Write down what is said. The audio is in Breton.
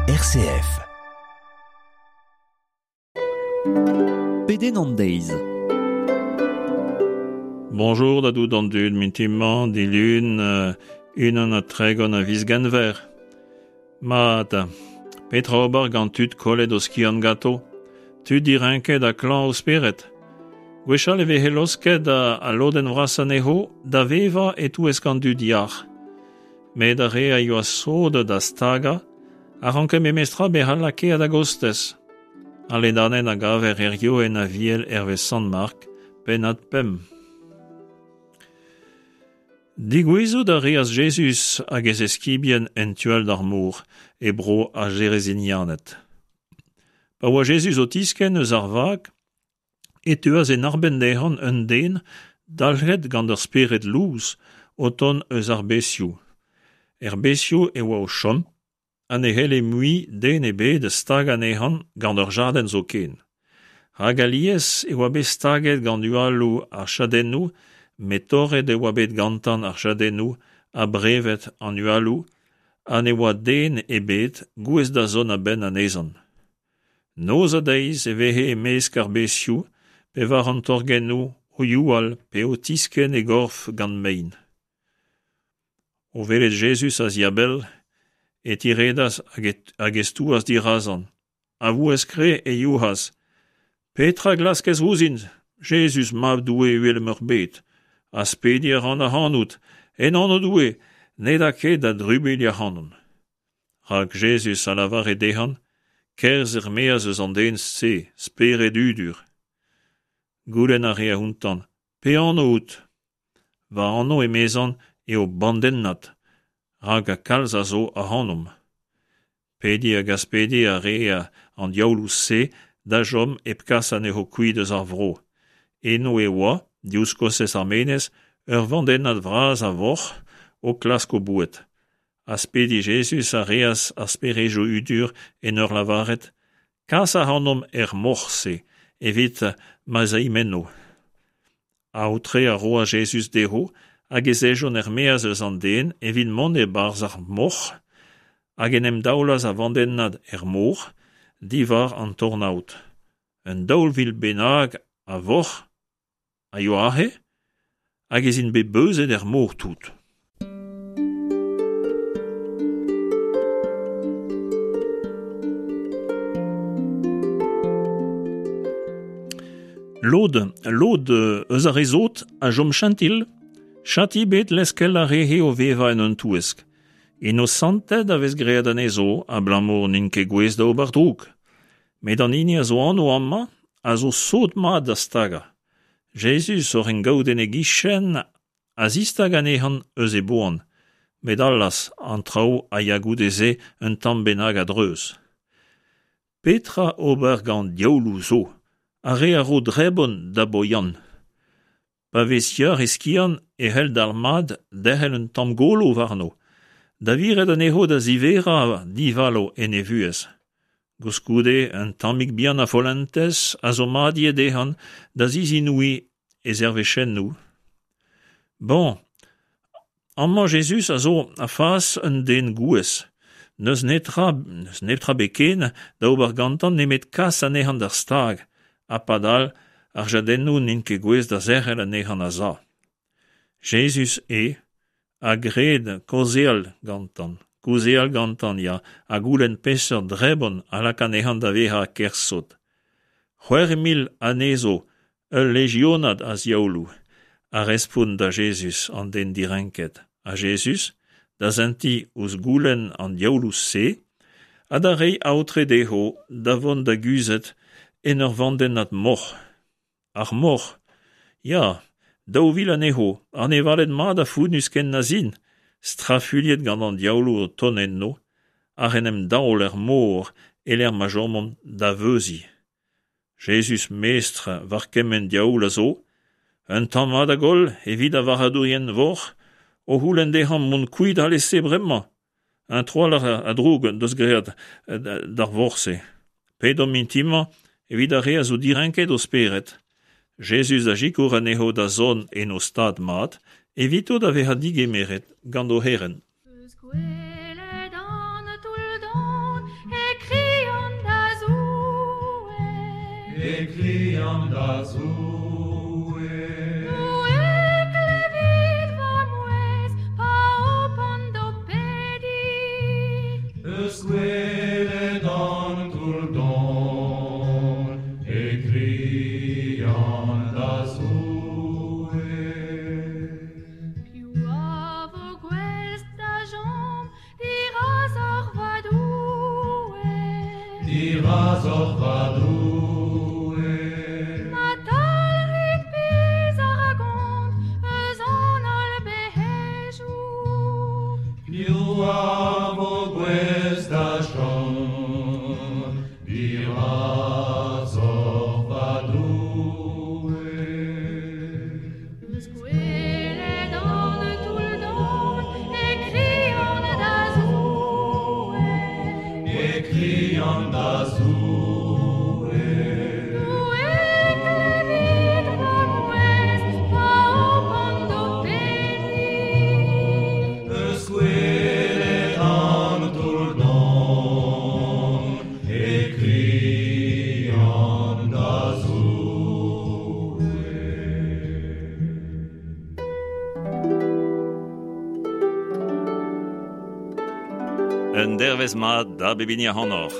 RCF. Pedenn an deiz. Bonjour da dout an dud mintin-mañ, dilun, 31 a viz Genver. Mat, petra ober gant tud kollet o skiant ganto? Tud direnket ha klañv o spered? Gwechall e veze laosket al lodenn vrasañ anezho da vevañ e-touesk an dud yac'h. Met ar re a yoa sot da stagañ a ranke memestra bezañ lakaet a-gostez. Al ledanenn a gaver hiziv en Aviel hervez Sant Mark, pennad 5. Degouezhout a reas Jezuz hag e zeskibien en tu all d'ar mor, e bro ar Jerezinianed. Pa oa Jezuz o tiskenn eus ar vag, e teuas en arbenn dezhañ un den dalc'het gant ur spered lous o tont eus ar bezioù. Er bezioù e oa o chom ha ne c'helle mui den ebet stagañ anezhañ gant ur jadenn zoken. Rak alies e oa bet staget gant hualoù ar chadennoù met torret e oa bet gantañ ar chadennoù ha brevet an hualoù ha ne oa den ebet gouest da zont a-benn anezhañ. Noz ha deiz e veze e-mesk ar bezioù pe war an torgennoù o youal pe o tiskenn e gorf gant mein. O welet Jezuz a-ziabell e tiredas hag e stouas dirazañ. A vouezh kreñv e youc'has: Petra glaskez ouzhin, Jezuz, Mab Doue uhel-meurbet? Aspediñ a ran ac'hanout, en anv Doue, ned a ket da drubuilh ac'hanon. Rak Jezuz a lavare dezhañ, Kerzh er-maez eus an den-se, spered hudur. Goulenn a rea outañ, Pe anv out? Va anv, emezañ, eo Bandennad, rak kalz a zo ac'hanomp. Pediñ hag aspediñ a rea an diaouloù-se da chom hep kas anezho kuit eus ar vro. Eno e oa, diouzh kostez ar menez, ur vandennad vras a voc'h o klask o boued. Aspediñ Jezuz a reas ar sperejoù hudur en ur lavaret: Kas ac'hanomp er moc'h-se evit ma'z aimp enno. Aotre a roas Jezuz dezho hag ez ejont er-maez eus an den evit mont e-barzh ar moc'h hag en em daolas a-vandennad er mor diwar an tornaod. Un 2000 bennak a voc'h a yoa aze hag ez int bet beuzet er mor tout. Lod, lod eus ar re sot a chom chentil, chati bet leskel ar re-se o vevañ en un touesk. Inosanted a vez graet anezho abalamour n'int ket gouest da ober droug. Met an hini a zo anv amañ a zo sot-mat da stagañ. Jezuz oc'h en gaout en e gichen a zistag anezhañ eus e boan, met allaz, an traoù a ya goude-se un tamm bennak a-dreuz. Petra ober gant diaouloù zo, ar re a ro drebon da Boyan? Pa vez yac'h e skiant e c'hell dalc'hmat derc'hel un tamm golo warno, da viret anezho da ziverañ divalo en e vuhez. Koulskoude, un tammig bihan a follentez a zo mat ivez dezhañ da zizinouiñ e zervezhennoù. Bon, Amañ Jezuz a zo a-fas un den gouez. N'eus netra, n'eus netra bet ken da ober gantañ nemet kas anezhañ d'ar stag, ha padal ar jadennoù n'int ket gouest da zerc'hel anezhañ a-za. Jezuz eo a gred kaozeal gantañ, kaozeal gantañ, ya, ha goulenn peseurt drebon a lak anezhañ da vezañ ker sot. 6000 anezho Ul lejionad a ziaouloù, a respont da Jezuz an den direnket, ha Jezuz, da sentiñ ouzh goulenn an diaouloù-se ha da reiñ aotre dezho da vont da guzhat en ur vandennad moc'h. Ar moc'h, ya, 2000 anezho, anevaled mat ha founnus ken na 'z int, strafuilhet gant an diaouloù o tont enno, ac'h en em daol er mor e-lec'h ma chomont da veuziñ. Jezuz mestr war kement diaoul a zo, un tamm mat a goll evit ar varc'hadourien voc'h o c'houlenn dezhañ mont kuit alese bremañ. Un trawalc'h a droug en deus graet d'ar voc'h-se. Pedomp int-mañ evit ar re a zo direnket o spered. Jezuz a sikour anezho da zont en o stad mat, evito da vezañ digemeret gant o c'herent. Eus gwelet an toull-don E krian da Zoue. Doue, klevit va mouezh, pa hopan d'ho pediñ. Eus goueled an toull don, e krian da Zoue. Piv a vo gouest da chom dirazoc'h va Doue? Dirazoc'h va Doue. Ma talc'hit pizh ar gont eus an holl bec'hejoù. Piv a vo gouest da chom dirazoc'h va Doue? Eus goueled an toull don e krian da Zoue. E krian da Zoue. Doue, klevit va mouezh, pa hopan d'ho pediñ. Eus goueled an toull don, e krian da Zoue. Un dervezh mat da bep hini ac'hanoc'h.